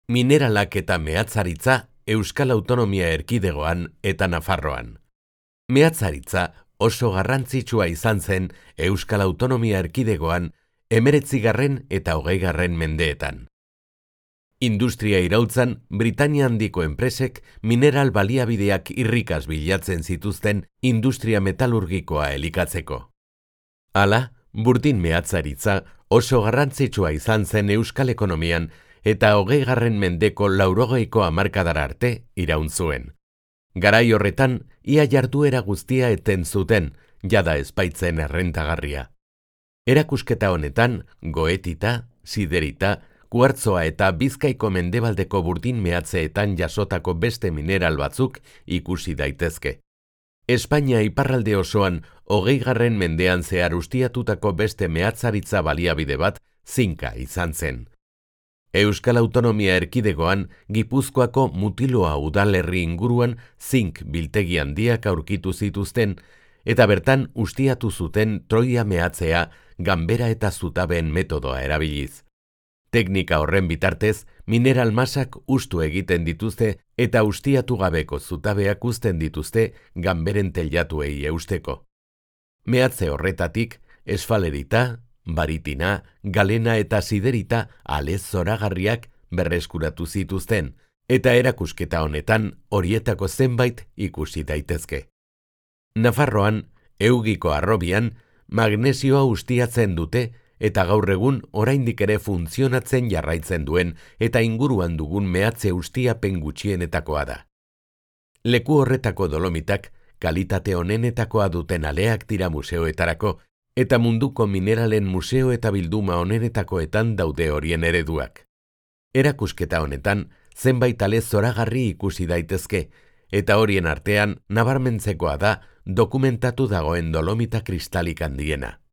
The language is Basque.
Mineralak eta mehatzaritza Euskal Autonomia Erkidegoan eta Nafarroan. Mehatzaritza oso garrantzitsua izan zen Euskal Autonomia Erkidegoan 19. eta 20. mendeetan. Industria iraultzan, Britania handiko enpresek mineral baliabideak irrikaz bilatzen zituzten industria metalurgikoa elikatzeko. Hala, burdin mehatzaritza oso garrantzitsua izan zen Euskal ekonomian eta 20. mendeko 80ko hamarkadara arte iraun zuen. Garai horretan, ia jarduera guztia eten zuten, jada ez baitzen errentagarria. Erakusketa honetan, goetita, siderita, kuartzoa eta Bizkaiko mendebaldeko burdin mehatzeetan jasotako beste mineral batzuk ikusi daitezke. Espainia iparralde osoan 20. mendean zehar ustiatutako beste mehatzaritza baliabide bat zinka izan zen. Euskal Autonomia Erkidegoan Gipuzkoako Mutiloa udalerri inguruan zink biltegi handiak aurkitu zituzten eta bertan ustiatu zuten Troia mehatzea ganbera eta zutabeen metodoa erabiliz. Teknika horren bitartez, mineral masak ustu egiten dituzte eta ustiatu gabeko zutabeak uzten dituzte ganberen teilatuei eusteko. Mehatze horretatik, esfalerita, baritina, galena eta siderita alez zoragarriak berreskuratu zituzten, eta erakusketa honetan horietako zenbait ikusi daitezke. Nafarroan, Eugiko harrobian, magnesioa ustiatzen dute eta gaur egun oraindik ere funtzionatzen jarraitzen duen eta inguruan dugun mehatze ustiapen gutxienetakoa da. Leku horretako dolomitak kalitate onenetakoa duten aleak dira museoetarako eta munduko mineralen museo eta bilduma onenetakoetan daude horien ereduak. Erakusketa honetan zenbait ale zoragarri ikusi daitezke eta horien artean nabarmentzekoa da dokumentatu dagoen dolomita kristalik handiena.